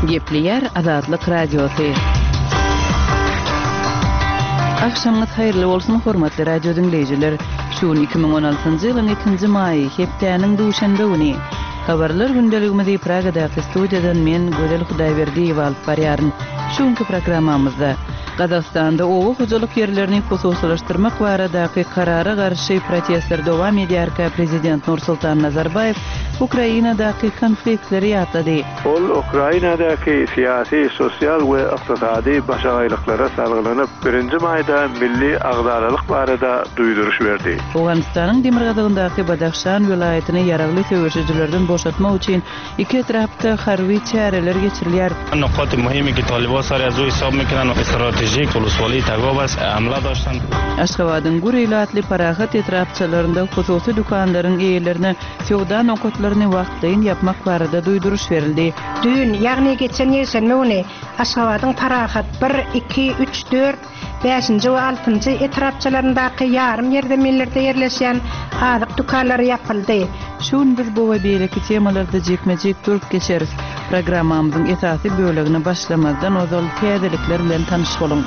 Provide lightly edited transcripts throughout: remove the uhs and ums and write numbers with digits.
Gepleýär Azatlyk Radiosy. Agşamyňyz haýyrly bolsun, hormatly radio diňleýjiler! Şu gün 2016-njy ýylyň ikinji maýy, hepdäniň duşenbe güni. Habarlar gündeligimizi Pragadaky studiýadan men, Gözel Hudaýberdiýewa alyp barýaryn. Şu günki programmamyzda Gazagystanda oba hojalyk ýerlerini hususylaşdyrmak baradaky karara garşy protestler dowam edýärkä prezident Nursultan Nazarbaýew Ukrainadaky konfliktleri ýatlady. Ol Ukrainadaky syýasy, sosial we ykdysady başagaýlyklara salgylanyp, birinji maýda milli agzalalyk barada duýduryş berdi. Owganystanyň demirgazygyndaky Badahşan welaýatyny ýaragly söweşijilerden boşatmak üçin iki etrapda harby çäreler geçirilýär. Aşgabadyň gür ilatly Parahat etrapçalarynda hususy dükanlaryň eýelerine söwda nokatlaryny wagtlaýyn ýapmak barada duýduryş berildi. Düýn, ýagny geçen ýekşenbe güni Aşgabadyň Parahat bir, iki, üç, dört, bäşinji we altynjy etrapçalaryndaky ýarym ýerzeminlerde ýerleşýän azyk dükanlary ýapyldy. Şu gün biz bu we beýleki temalarda jikme-jik durup geçeris. Programmamyzyň esasy bölegine başlamazdan ozal täzelikler bilen tanyş boluň.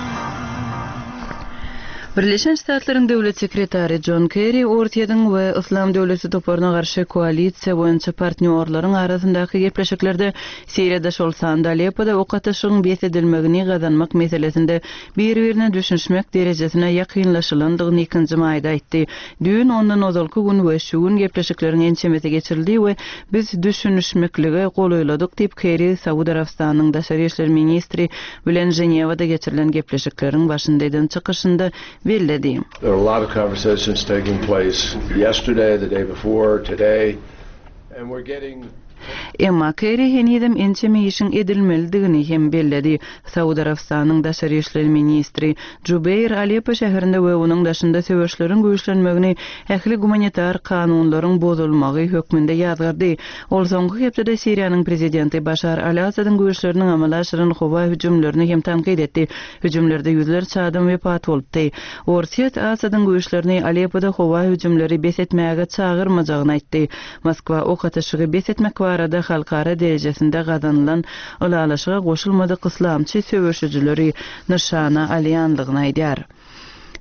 Birleşen Ştatlaryň Döwlet sekretary Jon Kerri Orsýetiň we Yslam döwleti toparyna garşy koalisiýa boýunça partnýorlaryň arasyndaky gepleşiklerde Siriýada, şol sanda Aleppoda ok atyşygyň bes edilmegini gazanmak meselesinde bir-birine düşünişmek derejesine ýakynlaşylandygyny ikinji maýda aýtdy. Düýn, ondan ozalky gün we şu gün gepleşikleriň ençemesi geçirildi we biz düşünişmeklige golaýladyk diýip, Kerri Saud Arabystanynyň daşary işler ministri bilen Ženewada geçirilen gepleşikleriň başynda eden çykyşynda belledi. There are a lot of conversations taking place yesterday, the day before, today, and we're getting. Emma Kerri henizem ençeme işiň edilmelidigini hem belledi. Saud Arabystanynyň daşary işler ministri Jubeir Aleppo şäherinde we onuň daşynda söweşleriň güýçlenmegini ähli gumanitar kanunlaryň bozulmagy hökmünde ýazgardy. Ol soňky hepdede Siriýanyň prezidenti Başar al-Assadyň güýçleriniň amala aşyran howa hüjümlerini hem tankyt etdi. Hüjümlerde ýüzlerçe adam wepat bolupdy. Orsýet Assadyň güýçlerini Aleppoda howa hüjümleri bes etmäge çagyrmajagyny aýtdy. Moskwa ok atyşygy bes etmek barada halkara derejesinde gazanylan ylalaşyga goşulmadyk yslamçy söweşijileri nyşana alýandygyny aýdýar.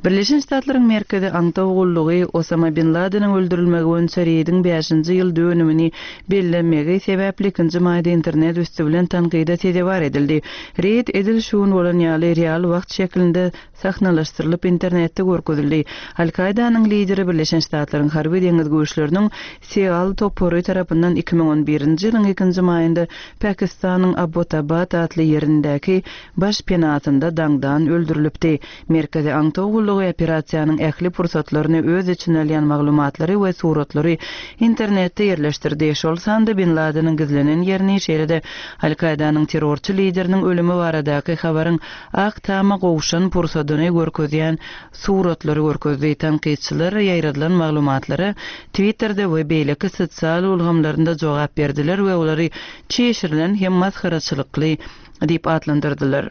Birleşen Ştatlaryň Merkezi aňtaw gullugy Osama bin Ladeniň öldürilmegi boýunça reýdiň bäşinji ýyl dönümini bellemegi sebäpli ikinji maýda internet üsti bilen tankyda sezewar edildi. Reýd edil şu gün bolan ýaly real wagt şeklinde sahnalaşdyrylyp internetde görkezildi. Al-Kaýdanyň lideri Birleşen Ştatlaryň harby deňiz güýçleriniň Seal topary tarapyndan 2011-nji ýylyň ikinji maýynda Pakistanyň Abbottabad atly ýerindäki baş penasynda daňdan öldürilipdi. Merkezi aňtaw gullugy operasiýanyň ähli pursatlaryny öz içine alýan maglumatlary we suratlary internetde ýerleşdirdi, şol sanda bin Ladeniň gizlenen ýerini, şeýle-de Al-Kaýdanyň terrorçy lideriniň ölümi baradaky habaryň Ak Tama gowşan pursadyny görkezýän suratlary görkezdi. Tankytçylar ýaýradylan maglumatlara Twitterde we beýleki sosial ulgamlarynda jogap berdiler we olary çişirilen hem masgaraçylykly diýip atlandyrdylar.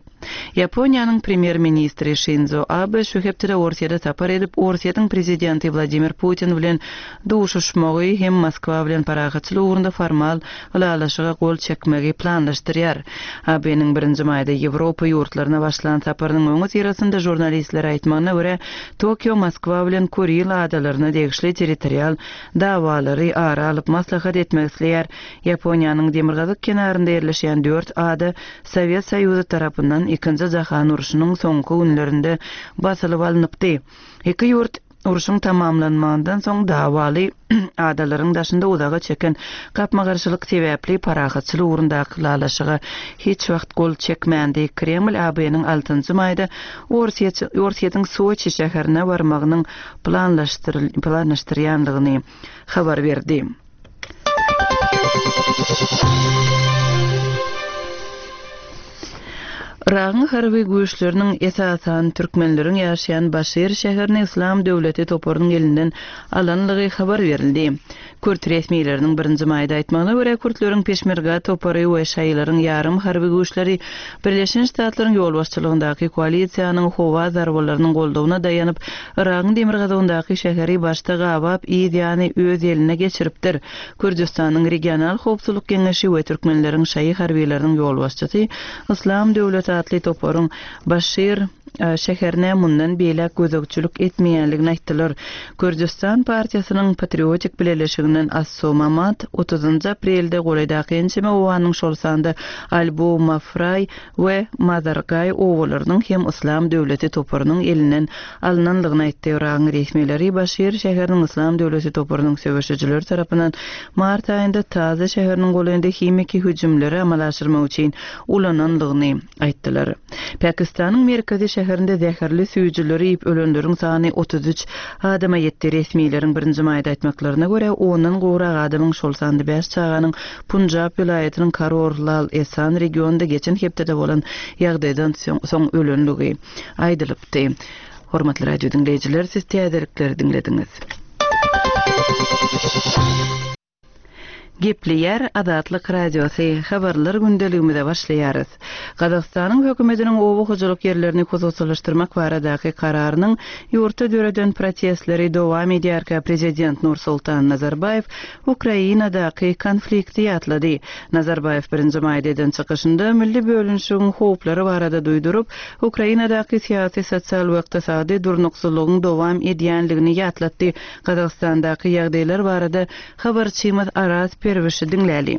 Ýaponiýanyň premýer-ministri Şinzo Abe şu hepdede Orsýete sapar edip, Orsýetiň prezidenti Wladimir Putin bilen duşuşmagy hem Moskwa bilen parahatçylyk ugrunda formal ylalaşyga gol çekmegi planlaşdyrýar. Abeniň birinji maýda Ýewropa ýurtlaryna başlan saparynyň öňüsyrasynda žurnalistlere aýtmagyna görä, Tokio Moskwa bilen Kuril adalaryna degişli territorial dawalary ara alyp maslahat etmek isleýär. Ýaponiýanyň demirgazyk kenarynda ýerleşýän dört ada Sowet Soýuzy tarapyndan Ikinji jahan urşunyň soňky günlerinde basylyp alnypdy. Iki ýurt urşuň tamamlanmagyndan soň dawaly adalaryň daşynda uzaga çeken gapma-garşylyk sebäpli parahatçylyk ugrundaky ylalaşyga hiç wagt gol çekmändi. Kreml AB-niň altynjy maýda Orsýetiň Soçi şäherine barmagynyň planlaşdyrýandygyny habar berdi. Yragyň harby güýçleriniň esasan türkmenleriň ýaşaýan Başir şäherini Yslam döwleti toparynyň elinden alanlygy habar berildi. Kürt resmileriniň birinji maýda aýtmagyna görä, kürtleriň Peşmerga topary we şaýylaryň ýarym harby güýçleri Birleşen Ştatlaryň ýolbaşçylygyndaky koalisiýanyň howa zarbalarynyň goldawyna daýanyp, Yragyň demirgazygyndaky şäheri başda gabap, yz ýany öz eline geçiripdir. Kürdüstanyň Regional howpsuzlyk geňeşi we türkmenleriň şaýy harbylarynyň ýolbaşçysy Yslam döwleti atly toparyň Başir şäherine mundan beýläk gözegçilik etmeýänligini aýtdylar. Kürdüstan partiýasynyň Patriotik bileleşiginden Asso Mamat otuzynjy aprelde golaýdaky ençeme obanyň şol sanda Albu Mafraý we Mazargaý obalarynyň hem Yslam döwleti toparynyň elinden alnanlygyny aýtdy. Yragyň resmileri Başir şäheriniň Yslam döwleti toparynyň söweşijileri tarapyndan mart aýynda Taze şäheriniň golaýynda himiki hüjümleri amala aşyrmak üçin ulananlygyny aýtdylar. Pakistanyň merkezi şäherinde zäherli süýjüleri iýip ölenleriň sany 33 adama ýetdi. Resmileriň birinji maýda aýtmaklaryna görä, ondan gowrak adamyň, şol sanda bäş çaganyň Punjab welaýatynyň Karor Lal Esan regionynda geçen hepdede bolan ýagdaýdan soň ölenligi aýdylypdy. Hormatly radio diňleýjiler, siz täzelikleri diňlediňiz. Gepleýär Azatlyk Radiosy, Habarlar gündeligimize başlaýarys. Gazagystanyň hökümetiniň oba hojalyk ýerlerini hususylaşdyrmak baradaky kararynyň ýurtda döreden protestleri dowam edýärkä prezident Nursultan Nazarbaýew Ukrainadaky konflikti ýatlady. Nazarbaýew birinji maýda eden çykyşynda milli bölünişigiň howplary barada duýduryp, Ukrainadaky syýasy, sosial we ykdysady durnuksyzlygyň dowam edýänligini ýatlatdy. Gazagystandaky ýagdaýlar barada habarçymyz Araz Perwişi diňläli.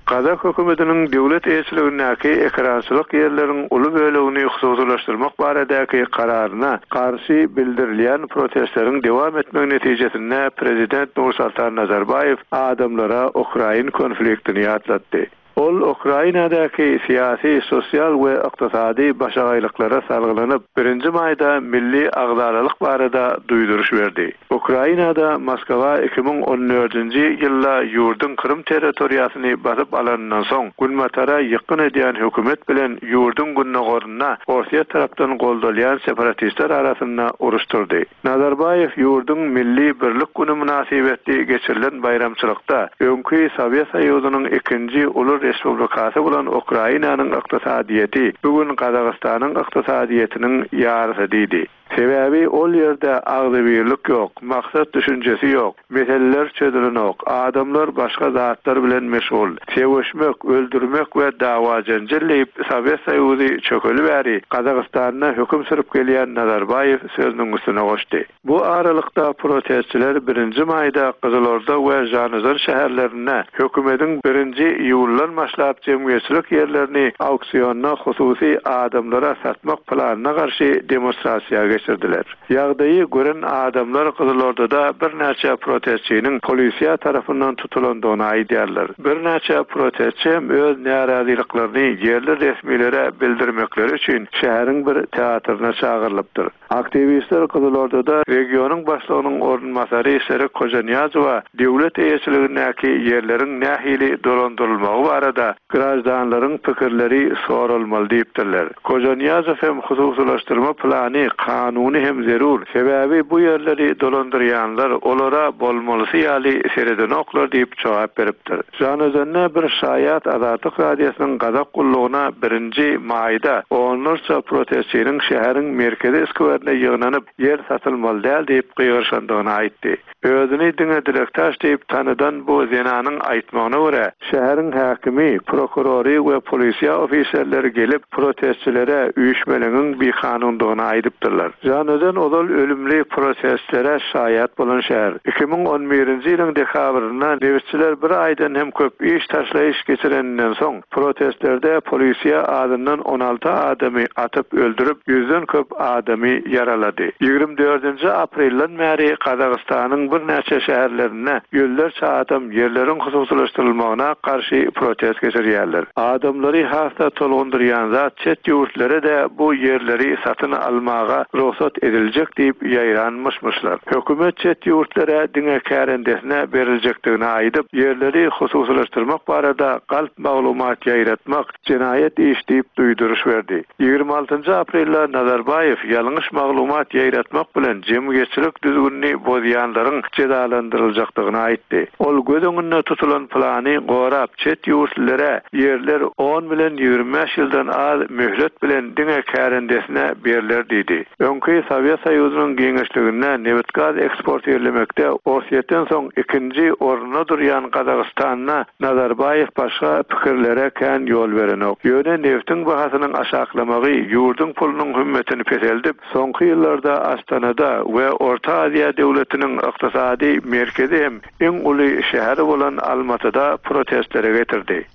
Gazak hökümetiniň döwlet eýeçiligindäki ekerançylyk ýerleriň uly bölegini hususylaşdyrmak baradaky kararyna garşy bildirilýän protestleriň dowam etmegi netijesinde prezident Nursultan Nazarbaýew adamlara ukrain konfliktini ýatlatdy. Ol Ukrainadaky syýasy, sosial we ykdysady başagaýlyklara salgylanyp, birinji maýda milli agzalalyk barada duýduryş berdi. Ukrainada Moskwa 2014-nji ýylda ýurduň Krym territoriýasyny basyp alanyndan soň, Günbatara ýykgyn edýän hökümet bilen ýurduň gündogarynda Orsýet tarapdan goldalýan separatistler arasynda uruş turdy. Nazarbaýew ýurduň Milli birlik güni mynasybetli geçirilen baýramçylykda öňki Sowet Soýuzynyň ikinji uly respublikasy bolan Ukrainanyň ykdysadyýeti bu gün Gazagystanyň ykdysadyýetiniň ýarysy diýdi. Sebäbi ol ýerde agzybirlik ýok, maksat düşünjesi ýok, meseleler çözülenok, adamlar başga zatlar bilen meşgul. Söweşmek, öldürmek we dawa-jenjel diýip, Sowet Soýuzy çökeli bäri Gazagystanda höküm sürüp gelýän Nazarbaýew sözüniň üstüne goşdy. Bu aralykda protestçiler birinji maýda Gyzylorda we Žanozan şäherlerinde hökümediň birinji iýuldan başlap jemgyýetçilik ýerlerini auksionda hususy adamlara satmak planyna garşy demonstrasiýa geçirdiler. Ýagdaýy gören adamlar Gyzylordada birnäçe protestçiniň polisiýa tarapyndan tutulandygyny aýdýarlar. Birnäçe protestçi hem öz närazylyklaryny ýerli resmilere bildirmekleri üçin şäheriň bir teatryna çagyrylypdyr. Aktiwistler Gyzylordada regionyň başlygynyň orunbasary Serik Hojanyýazowa döwlet eýeçiligindäki ýerleriň nähili dolandyrylmagy barada graždanlaryň pikirleri soralmaly diýipdirler. Hojanyýazow hem hususylaşdyrma plany kanuny hem zerur, sebäbi bu ýerleri dolandyrýanlar olara bolmalysy ýaly seredenoklar diýip jogap beripdir. Žanaözende bir şaýat Azatlyk Radiosynyň Gazak gullugyna birinji maýda onlarça protestçiniň şäheriň merkezi skwerine ýygnanyp, ýer satylmaly däl diýip gygyryşandygyny aýtdy. Özüni diňe Dilektaş diýip tanydan bu zenanyň aýtmagyna görä, şäheriň häkimi, prokurory we polisiýa ofiserleri gelip, protestçilere üýşmeleňiň bikanundygyny aýdypdyrlar. Žanaözen ozal ölümli protestlere şaýat bolan şäher. 2011-nji ýylyň dekabrynda nebitçiler bir aýdan hem köp iş taşlaýyş geçireninden soň, protestlerde polisiýa azyndan 16 adamy atyp öldürip, ýüzden köp adamy ýaralady. Ýigrimi dördünji aprelden bäri Gazagystanyň birnäçe şäherlerinde ýüzlerçe adam ýerleriň hususylaşdyrylmagyna garşy protest geçirýärler. Adamlary has-da tolgundyrýan zat çet ýurtlere-de bu ýerleri satyn almaga rugsat. rugsat ediljek diýip ýaýran myş-myşlar. Hökümet çet ýurtlara diňe kärendesine beriljekdigini aýdyp, ýerleri hususylaşdyrmak barada galp maglumat ýaýratmak jenaýat iş diýip duýduryş berdi. 26-njy aprelde Nazarbaýew ýalňyş maglumat ýaýratmak bilen jemgyýetçilik düzgünini bozýanlaryň jezalandyryljakdygyny aýtdy. Ol göz öňünde tutulan plany gorap, çet ýurtlulera ýerler on bilen 25 ýyldan az möhlet bilen diňe kärendesine berler diýdi. Öňki Sowet Soýuzynyň giňişliginde nebit-gaz eksportirlemekde Orsýetden soň ikinji orunda durýan Gazagystanda Nazarbaýew başga pikirlere kän ýol berenok. Ýöne nebtiň bahasynyň aşaklamagy ýurduň pulunyň hümmetini peseldip, soňky ýyllarda Astanada we Orta Aziýa döwletiniň ykdysady merkezi hem iň uly şäheri bolan Almatyda protestlere getirdi.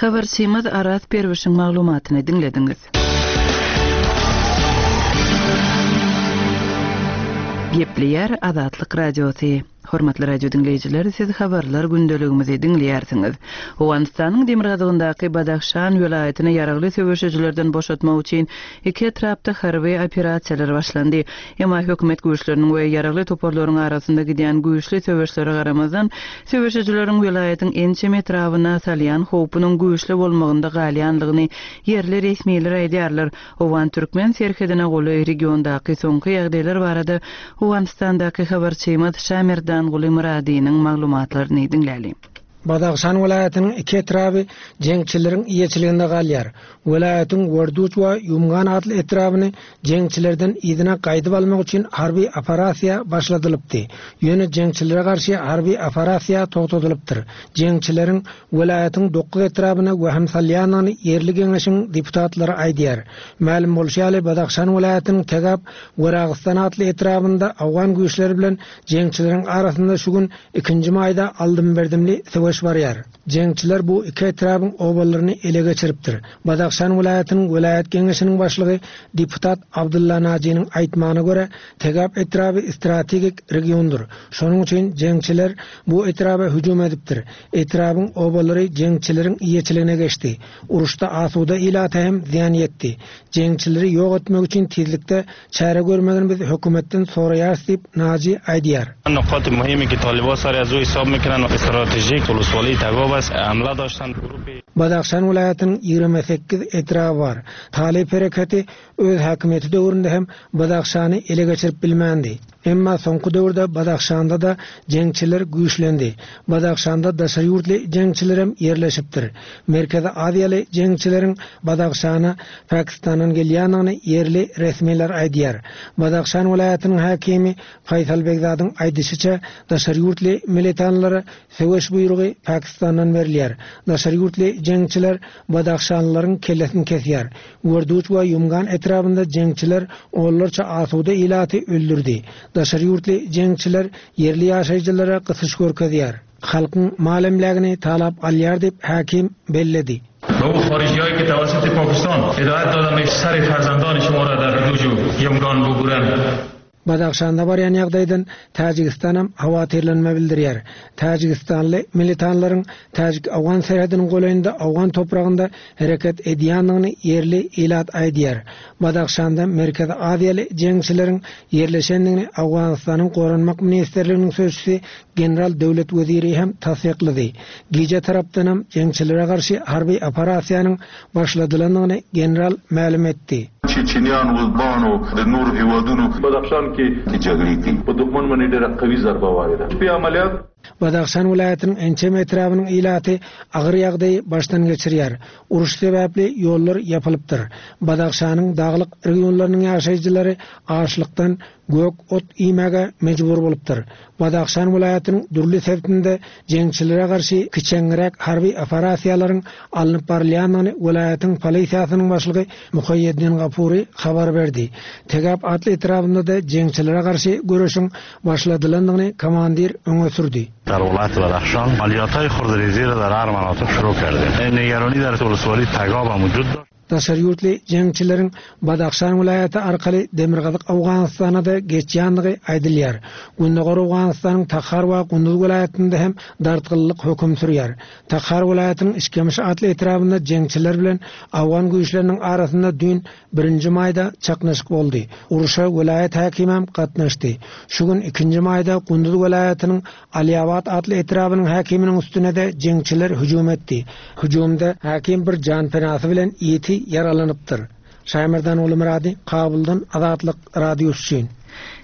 Habarçymyz Araz Perwişiň maglumatyny diňlediňiz. Gepleýär Azatlyk Radiosy. Hormatly radio diňleýjiler, siz habarlar gündeligimizi diňleýärsiňiz. Owganystanyň demirgazygyndaky Badahşan welaýatyny ýaragly söweşijilerden boşatmak üçin iki etrapda harby operasiýalar başlandy. Emma hökümet güýçleriniň we ýaragly toparlaryň arasynda gidýän güýçli söweşlere garamazdan, söweşijileriň welaýatyň ençeme etrabyna salýan howpunyň güýçli bolmagynda galýandygyny ýerli resmiler aýdýarlar. Owgan-türkmen serhedine golaý regiondaky soňky ýagdaýlar barada Owganystandaky habarçymyz Şamerdanguly Myradynyň maglumatlaryny diňläliň. Badahşan welaýatynyň iki etraby jeňçileriň eýeçiliginde galýar. Welaýatyň Werduç we Ýumgan atly etrabyny jeňçilerden yzyna gaýdyp almak üçin harby operasiýa başladylypdy. Ýöne jeňçilere garşy harby operasiýa togtadylypdyr. Jeňçileriň welaýatyň dokuz etrabyna wehim salýandygyny ýerli geňeşiň deputatlary aýdýar. Mälim bolşy ýaly, Badahşan welaýatynyň Tegap Weragystan atly etrabynda owgan güýçleri bilen jeňçileriň arasynda şu gün ikinji maýda aldym-berdimli söweş barýar. Jeňçiler bu iki etrabyň obalaryny ele geçiripdir. Badahşan welaýatynyň welaýat geňeşiniň başlygy deputat Abdylla Najiniň aýtmagyna görä, Tegap etraby strategik regiondyr. Şonuň üçin jeňçiler bu etraba hüjüm edipdir. Etrabyň obalary jeňçileriň eýeçiligine geçdi. Uruşda asuda ilata hem zyýan ýetdi. Jeňçileri ýok etmek üçin tizlikde çäre görmegini biz hökümetden soraýarys diýip, Naji aýdýar. Nokati muhimi ki taliba sari az u hisab mikunan stratejik uluswali Tagob ast hamla doştan guruhi. Badahşan welaýatynyň 28 etraby bar. Talyp hereketi öz häkimiýeti döwründe hem Badahşany ele geçirip bilmändi. Emma soňky döwürde Badahşanda-da jeňçiler güýçlendi. Badahşanda daşary ýurtly jeňçilerem ýerleşipdir. Merkezi Aziýaly jeňçileriň Badahşana Pakistandan gelýändigini ýerli resmiler aýdýar. Badahşan welaýatynyň häkimi Faýsal Begzadyň aýdyşyça, daşary ýurtly militanlara söweş buýrugy Pakistandan berilýär. Daşary ýurtly jeňçiler badahşanlylaryň kellesini kesýär. Werduç we Ýumgan etrabynda jeňçiler onlarça asuda ilaty öldürdi. Daşary ýurtly jeňçiler ýerli ýaşaýjylara gysyş görkezýär. Halkyň mal-emlägini talap alýar diýip, häkim belledi. Be u harijihayi ke tevassuti Pakistan hidayat dodand sari farzandani shuma ra dar Werduj u Yumgan buburan. Badahşanda barýan ýagdaýdan Täjigistanam howatyrlanma bildirýär. Täjigistanly militanlaryň täjik-owgan serhediniň golaýynda owgan topragynda hereket edýändigini ýerli ilat aýdýar. Badahşanda Merkezi Aziýaly jeňçileriň ýerleşendigini Owganystanyň Goranmak ministrliginiň sözçüsi general Döwlet Weziri hem tassyklady. Gije tarapdanam jeňçilere garşy harby operasiýanyň başladylandygyny general mälim etdi. چیچنیان ازبان او د نورو هیوادونو بدخشان کې جګړې کوي په دښمن باندې ډیره قوي ضربه وارده شپې عملیات. Badahşan welaýatynyň ençeme etrabynyň ilaty agyr ýagdaýy başdan geçirýär. Uruş sebäpli ýollar ýapylypdyr. Badahşanyň daglyk regionlarynyň ýaşaýjylary açlykdan gök ot iýmäge mejbur bolupdyr. Badahşan welaýatynyň dürli sebitinde jeňçilere garşy kiçeňräk harby operasiýalaryň alnyp barylýandygyny welaýatyň polisiýasynyň başlygy Muhaýýeddin Gapury habar berdi. Tegap atly etrabynda-da jeňçilere garşy göreşiň başladylandygyny komandir öňe sürdi. Dar welaýaty Badahşan amaliyathayi hurdrêzî ra dar her manatik şurû kerdin. Nigeranî dar woleswalî Tegab hem wujud daşt. Daşary ýurtly jeňçileriň Badahşan welaýaty arkaly demirgazyk Owganystana-da geçýändigi aýdylýar. Gündogar Owganystanyň Tahar we Gunduz welaýatynda hem dartgynlylyk höküm sürýär. Tahar welaýatynyň Işkemiş atly etrabynda jeňçiler bilen owgan güýçleriniň arasynda düýn, birinji maýda çaknyşyk boldy. Urşa welaýat häkimem gatnaşdy. Şu gün, ikinji maýda Gunduz welaýatynyň Alyabad atly etrabynyň häkiminiň üstüne-de jeňçiler hüjüm etdi. Hüjümde häkim bir janpenasy bilen ýiti ýaralanypdyr. Şaýmerdan Gulumyrady, Kabuldan Azatlyk Radiosy üçin.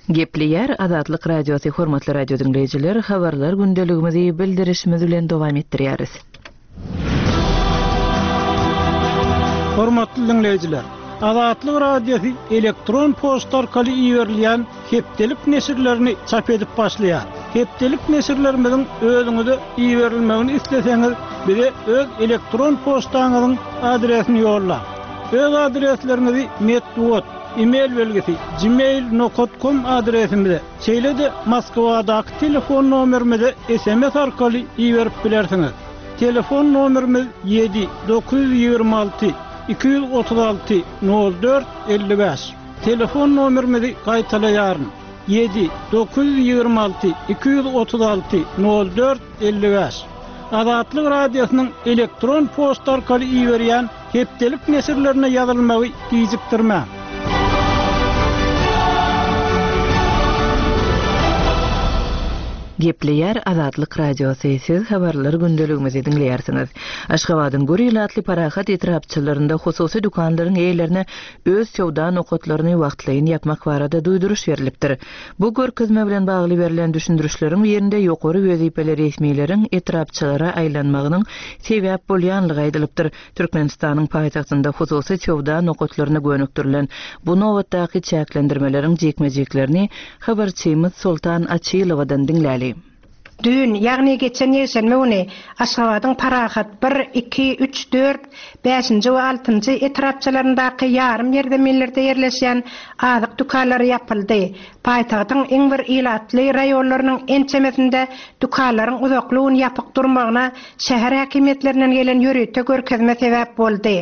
Gepleýär Azatlyk Radiosy Hormatly radio diňleýjiler, habarlar gündeligimizi bildirişimiz bilen dowam etdirýäris. Hormatly diňleýjiler! Azatlyk Radiosy elektron poçta arkaly iberilýän hepdelik neşirlerini çap edip başlaýar. Hepdelik neşirlerimiziň özüňize iberilmegini isleseňiz, bize öz elektron poçtaňyzyň adresini ýollaň. Öz adresleriňizi metbugat, e-mail belgisi, gmail nokat kom adresimize, şeýle-de Moskwadaky telefon nomerimize sms arkaly iberip bilersiňiz. Telefon nomerimiz ýedi, 926 236 04 55. Telefon nomerimizi gaýtalaýaryn, ýedi, 926 236 04 55. Azatlyk Radiosynyň elektron poçta arkaly iberýän Hepdelik neşirlerine ýazylmagy gijikdirmäň. Gepleýär Azatlyk Radiosy, siz habarlar gündeligimizi diňleýärsiňiz. Aşgabadyň gür ilatly Parahat etrapçalarynda hususy dükanlaryň eýelerine öz söwda nokatlaryny wagtlaýyn ýapmak barada duýduryş berlipdir. Bu görkezme bilen bagly berlen düşündirişleriň birinde ýokary wezipeli resmileriň etrapçalara aýlanmagynyň sebäp bolýanlygy aýdylypdyr. Türkmenistanyň paýtagtynda hususy söwda nokatlaryna gönükdirilen bu nobatdaky çäklendirmeleriň jikme-jiklerini habarçymyz Soltan Açylowadan diňläli. Düýn, ýagny geçen ýekşenbe güni Aşgabadyň Parahat bir, iki, üç, dört, bäşinji we altynjy etrapçalaryndaky ýarym ýerzeminlerde ýerleşýän azyk dükanlary ýapyldy. Paýtagtyň iň bir ilatly raýonlarynyň ençemesinde dükanlaryň uzakly gün ýapyk durmagyna şäher häkimiýetlerinden gelen ýörite görkezme sebäp boldy.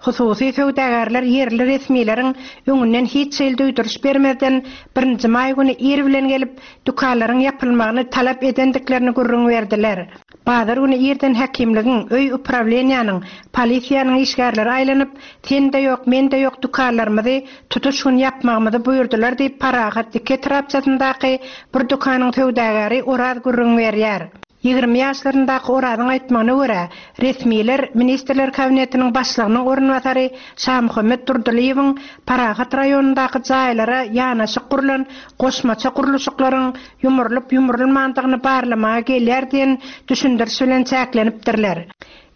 Hususy söwdagärler ýerli resmileriň öňünden hiç hili duýduryş bermezden birinji maý güni ir bilen gelip, dükanlaryň ýapylmagyny talap edendiklerini gürrüň berdiler. Bazar güni irden häkimligiň, öý uprawleniýanyň, polisiýanyň işgärleri aýlanyp, sende ýok, mende ýok dükanlarymyzy tutuş gün ýapmagymyzy buýurdylar diýip, Parahat iki etrapçasyndaky bir dükanyň söwdagäri Oraz gürrüň berýär. 20 ýaşlaryndaky Orazyň aýtmagyna görä, resmiler Ministrler Kabinetiniň Başlygynyň orunbasary Şamuhammet Durdylyýewiň Parahat raýonyndaky jaýlara ýanaşyk gurlan goşmaça gurluşyklaryň ýumrulyp-ýumrulmandygyny barlamaga gelýär diýen düşündiriş bilen çäklenipdirler.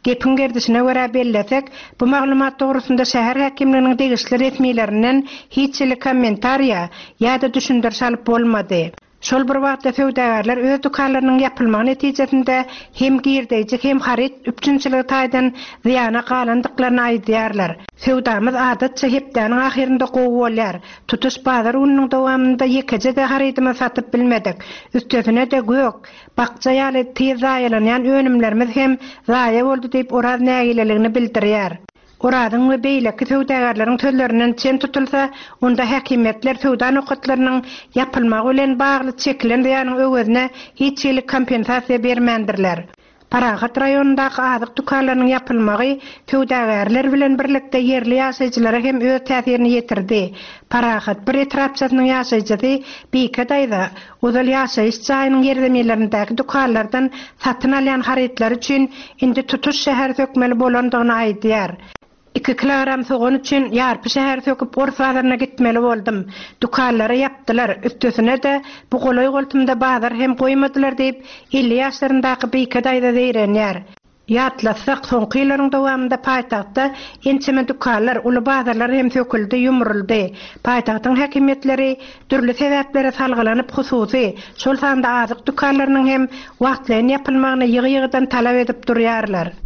Gepiň gerdişine görä bellesek, bu maglumat dogrusynda şäher häkimliginiň degişli resmilerinden hiç hili kommentariýa ýa-da düşündiriş alyp bolmady. Şol bir wagtda söwdagärler öz dükanlarynyň ýapylmagy netijesinde hem girdeýji, hem haryt üpjünçiligi taýdan zyýana galandyklaryny aýdýarlar. Söwdamyz adatça hepdäniň ahyrynda gowy bolýar. Tutuş bazar gününiň dowamynda ýekeje-de harydymyzy satyp bilmedik. Üstesine-de gök, bakja ýaly tiz zaýalanýan önümlerimiz hem zaýa boldy diýip, Oraz nägileligini bildirýär. Orazyň we beýleki söwdagärleriň sözlerinden çen tutulsa, onda häkimiýetler söwda nokatlarynyň ýapylmagy bilen bagly çekilen zyýanyň öwezine hiç hili kompensasiýa bermändirler. Parahat raýonyndaky azyk dükanlarynyň ýapylmagy söwdagärler bilen birlikde ýerli ýaşaýjylara hem öz täsirini ýetirdi. Parahat bir etrapçasynyň ýaşaýjysy Bike daýza ozal ýaşaýyş jaýynyň ýerzeminlerindäki dükanlardan satyn alýan harytlary üçin indi tutuş şäheri sökmeli bolandygyny aýdýar. Iki kilogram sogan üçin ýarpy şäheri söküp ors bazaryna gitmeli boldum. Dükanlary ýapdylar, üstesine-de bu golaý-goltumda bazar hem goýmadylar diýip, 50 ýaşlaryndaky Bike daýza zeýrenýär. Ýatlatsak, soňky ýyllaryň dowamynda paýtagtda ençeme dükanlar, uly bazarlar hem söküldi, ýumruldy. Paýtagtyň häkimiýetleri dürli sebäplere salgylanyp hususy, şol sanda azyk dükanlarynyň hem wagtlaýyn ýapylmagyny ýygy-ýygydan talap edip durýarlar.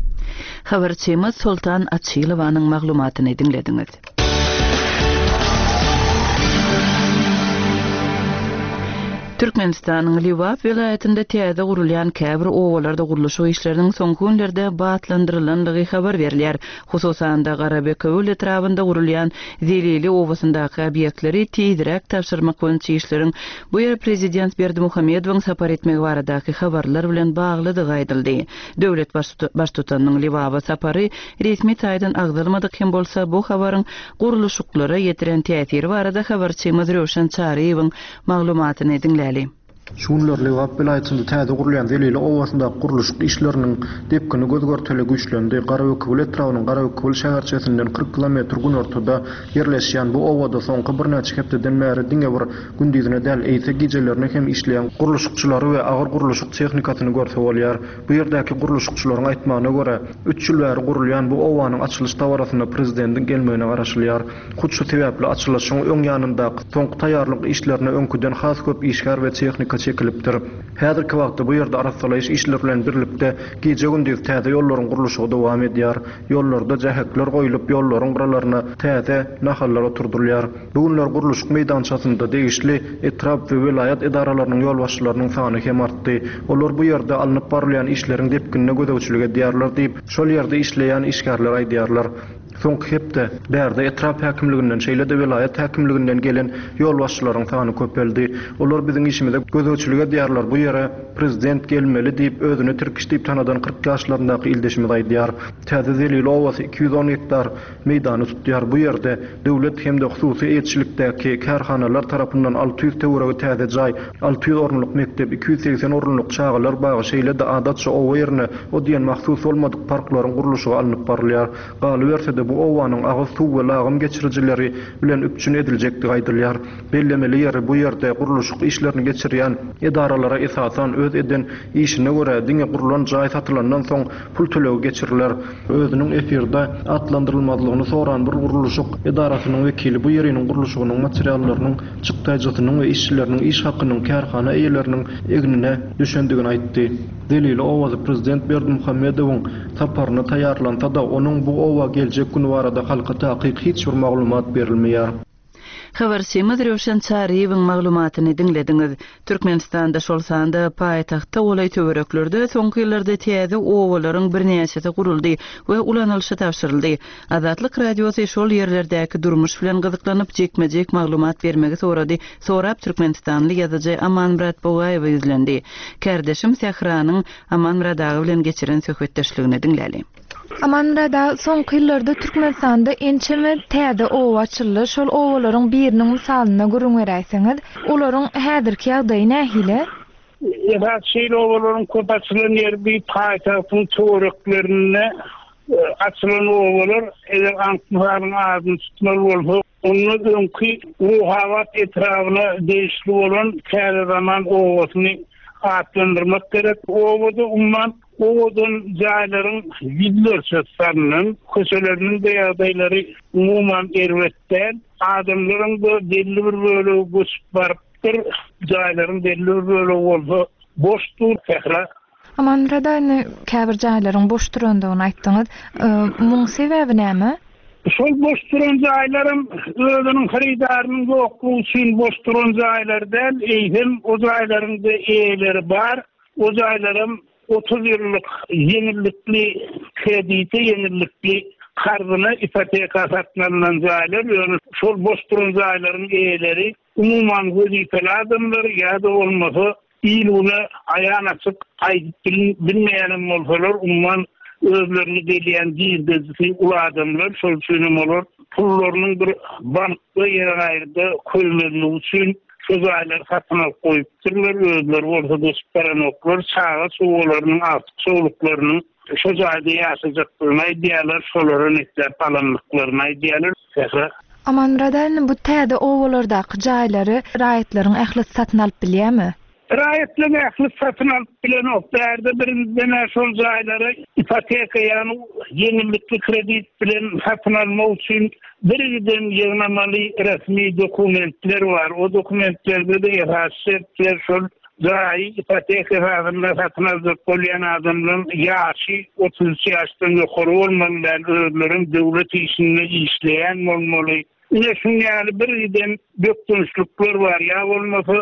Habarçymyz Soltan Açylowanyň maglumatyny diňlediňiz. Türkmenistanyň Lebap welaýatynda täze gurulýan käbir obalarda gurluşyk işleriniň soňky günlerde batlandyrylandygy habar berilýär. Hususan-da, Garabekewül etrabynda gurulýan Zelili obasyndaky obýektleri tizräk tabşyrmak boýunça işleriň bu ýere prezident Berdimuhamedowyň sapar etmegi baradaky habarlar bilen baglydygy aýdyldy. Döwlet Baştutanynyň Lebaba sapary resmi taýdan agzalmadyk hem bolsa, bu habaryň gurluşyklara ýetiren täsiri barada habarçymyz Röwşen Çaryýewiň Maglumatyny diňläli. Şu günler Lebap welaýatynda täze gurulýan Zelili obasyndaky gurluşyk işleriniň depgini göz-görtele güýçlendi. Garabekewül etrabynyň Garabekewül şäherçesinden 40 kilometr günortada ýerleşýän bu obada soňky birnäçe hepdeden bäri diňe bir gündizine däl, eýse gijelerine hem işleýän gurluşykçylary we agyr gurluşyk tehnikasyny görse bolýar. Bu ýerdäki gurluşykçylaryň aýtmagyna görä, üç ýyl bäri gurulýan bu obanyň açylyş dabarasyna prezidentiň gelmegine garaşylýar. Hut şu sebäpli açylyşyň öň ýanyndaky soňky taýýarlyk işlerine öňküden has köp işgär we tehnika çekilipdir. Häzirki wagtda bu ýerde arassalaýyş işleri bilen birlikde gije-gündiz täze ýollaryň gurluşygy dowam edýär. Ýollarda jähekler goýlup, ýollaryň gyralaryna täze nahallar oturdylýar. Bu günler gurluşyk meýdançasynda degişli etrap we welaýat edaralarynyň ýolbaşçylarynyň sany hem artdy. Olar bu ýerde alnyp barylýan işleriň depginine gözegçilik edýärler diýip, şol ýerde işleýän işgärler aýdýarlar. Soňky hepde bärde etrap häkimliginden, şeýle-de welaýat häkimliginden gelen ýolbaşçylaryň sany köpeldi. Olar biziň işimize gözegçilik edýärler, bu ýere prezident gelmeli diýip, özüni Tirkiş diýip tanadan 40 ýaşlaryndaky ildeşimiz aýdýar. Täze Zelili obasy 210 gektar meýdany tutýar. Bu ýerde döwlet hem-de hususy eýeçilikdäki kärhanalar tarapyndan 600 töweregi täze jaý, 600 orunlyk mekdep, 280 orunlyk çagalar bagy, şeýle-de adatça oba ýerine o diýen mahsus bolmadyk parklaryň gurluşygy alnyp barylýar. Galyberse-de, bu obanyň agyz suw we lagym geçirijileri bilen üpjün ediljekdigi aýdylýar. Bellemeli ýeri, bu ýerde gurluşyk işlerini geçirýän edaralara esasan öz eden işine görä diňe gurlan jaý satylandan soň pul tölegi geçiriler. Özüniň efirde atlandyrylmazlygyny soran bir gurluşyk edarasynyň wekili bu ýeriniň gurluşygynyň materiallarynyň çykdaýjysynyň we işçileriniň iş hakynyň kärhana eýeleriniň egnine düşendigini aýtdy. Zelili obasy prezident Berdimuhamedowyň saparyna taýýarlansa-da, onuň bu oba geljek güni barada halka takyk hiç bir maglumat berilmeýär. Habarçymyz Röwşen Çaryýewiň maglumatyny diňlediňiz. Türkmenistanda, şol sanda paýtagta golaý töwereklerde soňky ýyllarda täze obalaryň birnäçesi guruldy we ulanylyşa tabşyryldy. Azatlyk Radiosy şol ýerlerdäki durmuş bilen gyzyklanyp, jikme-jik maglumat bermegi sorady, sorap türkmenistanly ýazyjy Amanmyrat Bogaýewe ýüzlendi. Kärdeşim Sähranyň Amanmyrat aga bilen geçiren söhbetdeşligini diňläli. Amanmyrat aga, soňky ýyllarda Türkmenistanda ençeme täze oba açyldy. Şol obalaryň biriniň mysalynda gürrüň beräýseňiz. Olaryň häzirki ýagdaýy nähili? Esasy şeýle obalaryň köp açylan ýeri bi paýtagtyň töwereklerinde açylan obalar. Eger anyk mysalyň adyny tutmaly bolsa, onda öňki Ruhabat etrabyna degişli bolan Täze zaman obasyny atlandyrmak gerek. Obada umuman owadan jaýlaryň ýüzlerçesi salnan, köçeleriniň-de ýagdaýlary umuman erbet däl. Adamlaryň-da belli bir bölegi göçüp barypdyr, jaýlaryň belli bir bölegi bolsa boş dur, sähra. Amanmyrat aga, indi käbir jaýlaryň boş durandygyny aýtdyňyz. Muň sebäbi näme? Şol boş duran jaýlaram özüniň hyrydarynyň ýoklugy üçin boş duran jaýlar däl, eýsem o jaýlaryň-da eýeleri bar. O jaýlaram 30 ýyllyk ýeňillikli kredite, ýeňillikli karzyna, ipoteka satyn alnan jaýlar, ýöne şol boş duran jaýlaryň eýeleri umuman wezipeli adamlar ýa-da bolmasa il-güne aýan-açyk aýdyp bilmeýänem bolsalar, umuman özlerine gelýän girdejisi uly adamlar, şol üçinem olar pullarynyň bir bankda ýere gaýryda köýmezligi üçin Şu jaýlary satyn alyp goýupdyrlar, özleri bolsa göçüp baranoklar, çaga-çugalarynyň, agtyk-çowluklarynyň şo jaýda ýaşajakdygyny aýdýarlar, şolara nesläp alandyklaryny aýdýarlar. Sähra. Amanmyrat aga, indi bu täze obalardaky jaýlary raýatlaryň ählisi satyn alyp bilýärmi? Raýatlaryň ählisi satyn alyp bilenok. Bärde birinjiden-ä şol jaýlary ipoteka, ýagny ýeňillikli kredit bilen satyn almak üçin birgiden ýygnamaly resmi dokumentler bar. O dokumentlerde-de esasy şertler şol jaýy ipoteka esasynda satyn aljak bolýan adamlaryň ýaşy 33 ýaşdan ýokary bolmaly däl, özlerem döwlet işinde işleýän bolmaly. Ine şuň ýaly birgiden bökdençlikler bar. Ýa bolmasa.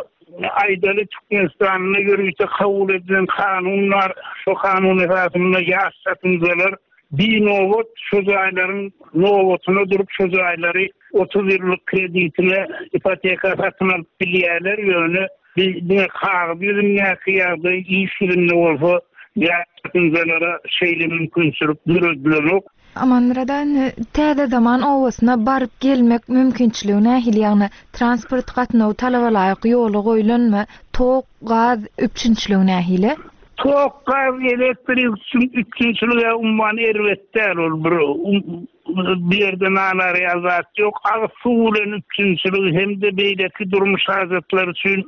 Aýdaly, Türkmenistanda ýörite kabul edilen kanun bar. Şo kanun esasynda ýaş çatynjalar binobat şo jaýlaryň nobatyna durup şo jaýlary 30 ýyllyk kreditine ipoteka satyn alyp bilýärler. Ýöne bi diňe kagyz ýüzündäki ýagdaý, iş ýüzünde bolsa ýaş çatynjalara şeýle mümkinçilik döredilenok. Amanmyrat aga indi Täze Zaman obasyna baryp gelmek mümkinçiligi nähili ýagny transport gatnawy talabalaýyk ýola goýlanmy tok gaz üpjünçiligi nähili? Tok gaz elektrik üpjünçiligi umuman erbet däl ol bir bu ýerde nalar ýaly zat ýok agyz suw bilen üpjünçiligi hem-de beýleki durmuş hajatlary üçin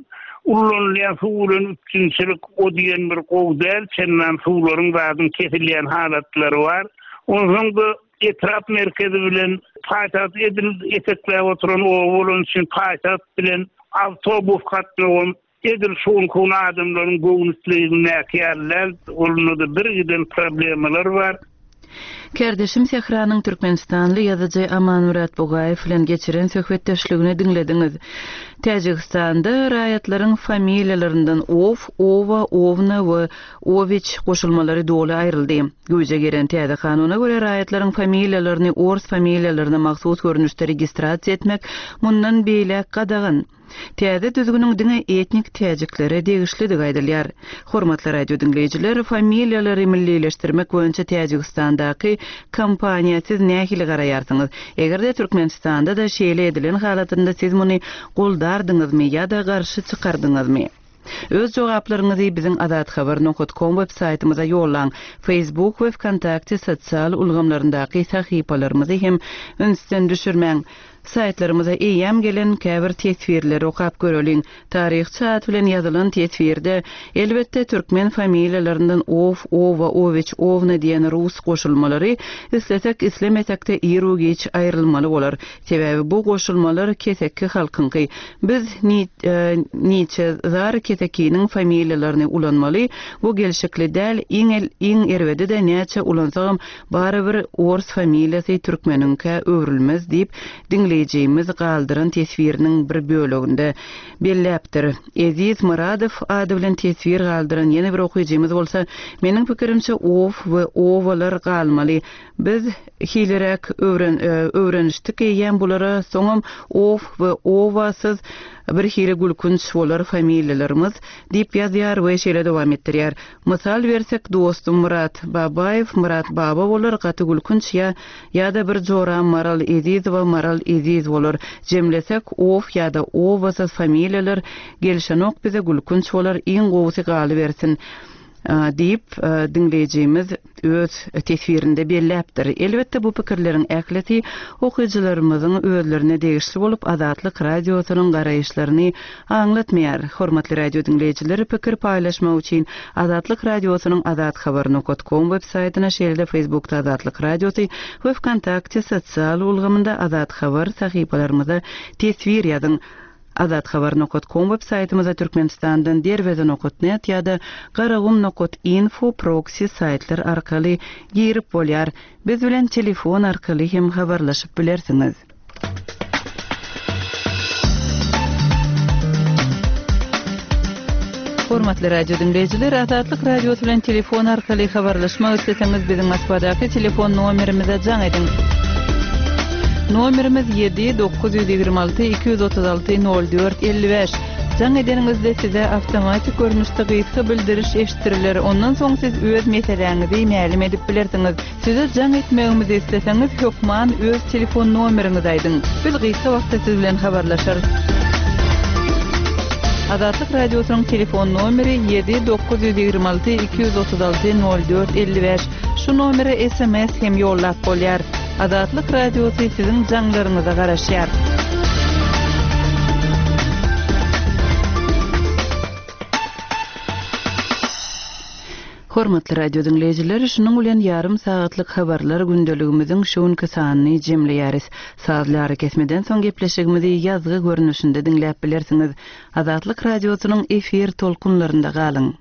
ullanylýan suw bilen üpjünçilik o diýen bir gowy däl, çendan suwlaryň zadyň kesilýän halatlary bar. Onsoň-da etrap merkezi bilen paýtagt edil etekläp oturan oba bolany üçin paýtagt bilen awtobus gatnawam edil şu günki gün adamlaryň göwün islegindäki ýaly däl, onda-da birgiden problemalar bar. Kärdeşim Sähranyň türkmenistanly ýazyjy Amanmyrat Bugaýew bilen geçiren söhbetdeşligini diňlediňiz. Täjigistanda raýatlaryň familiýalaryndan ow, owa, owna we owiç goşulmalary doly aýryldy. Güýje giren täze kanuna görä, raýatlaryň familiýalaryny ors familiýalaryna mahsus görnüşde registrasiýa etmek mundan beýläk gadagan. Täze düzgüniň diňe etnik täjiklere degişlidigi aýdylýar. Hormatly radio diňleýjiler, familiýalary millileşdirmek boýunça Täjigistandaky kampaniýa siz nähili garaýarsyňyz? Eger-de Türkmenistanda-da şeýle edilen halatynda siz muny goldardyňyzmy ýa-da garşy çykardyňyzmy? Öz jogaplaryňyzy biziň azathabar nokat kom web saýtymyza ýollaň. Facebook we Wkontakte sosial ulgamlaryndaky sahypalarymyzy hem ünsden düşürmäň. Saýtlarymyza eýýäm gelen käbir teswirleri okap göreliň. Taryhçy at bilen ýazylan teswirde, elbetde, türkmen familiýalaryndan ow, owa, owiç, owna diýen rus goşulmalary islesek islemesekde iru-giç aýrylmaly bolar. Sebäbi bu goşulmalar keseki halkyňky. Biz niçe zar kesekiniň familiýalaryny ulanmaly, bu gelşikli däl, iň iň erbedi-de näçe ulansagam barybir ors familiýasy türkmeniňkä öwrülmez diýip diňleýjimiz galdyran teswiriniň bir böleginde belläpdir. Eziz Myradow ady bilen teswir galdyran ýene bir okyjymyz bolsa, Meniň pikirimçe ow we owalar galmaly. Biz hiliräk öwren öwrenişdik eýýäm bulara, soňam ow we owasyz birhili gülkünç bolar familiýalarymyz diýip ýazýar we şeýle dowam etdirýär, Mysal bersek dostum Myrat Babaýew Myrat Baba bolar gaty gülkünç ýa ýa-da bir joram Maral Ezizowa Maral Eziz bolar. Jemlesek ow ýa-da owasyz familiýalar gelşenok bize gülkünç bolar iň gowusy galybersin. Diýip, diňleýjimiz öz teswirinde belläpdir. Elbetde, bu pikirleriň ählisi okyjylarymyzyň özlerine degişli bolup, Azatlyk Radiosynyň garaýyşlaryny aňlatmaýar. Hormatly radio diňleýjiler, pikir paýlaşmak üçin Azatlyk Radiosynyň azathabar nokat kom web saýtyna, şeýle-de Facebookda Azatlyk Radiosy we Wkontakte sosial ulgamynda Azathabar sahypalarymyza teswir ýazyň. Azathabar nokat kom web saýtymyza Türkmenistandan Derweze nokat net ýa-da Garagum nokat info proksi saýtlar arkaly girip bolýar. Biz bilen telefon arkaly hem habarlaşyp bilersiňiz. Hormatly radio diňleýjiler, Azatlyk Radiosy bilen telefon arkaly habarlaşmak isleseňiz biziň Moskwadaky telefon nomerimize jaň ediň. Nomerimiz 7 926 236 04 55. Jaň edeniňizde size awtomatik görnüşde gysga bildiriş eşitdiriler. Ondan soň siz öz meseläňizi mälim edip bilersiňiz. Size jaň etmegimizi isleseňiz, hökman öz telefon nomeriňizi aýdyň. Biz gysga wagtda siz bilen habarlaşarys. Azatlyk Radiosynyň telefon nomeri 7 926 236 04 55. Şu nomere sms hem ýollap bolýar. Azatlyk Radiosy siziň jaňlaryňyza garaşýar. Hormatly radio diňleýjiler, şunuň bilen ýarym sagatlyk habarlar gündeligimiziň şu günki sanyny jemleýäris. Sazly arakesmeden soň gepleşigimizi ýazgy görnüşinde diňläp bilersiňiz. Azatlyk Radiosynyň efir tolkunlarynda galyň!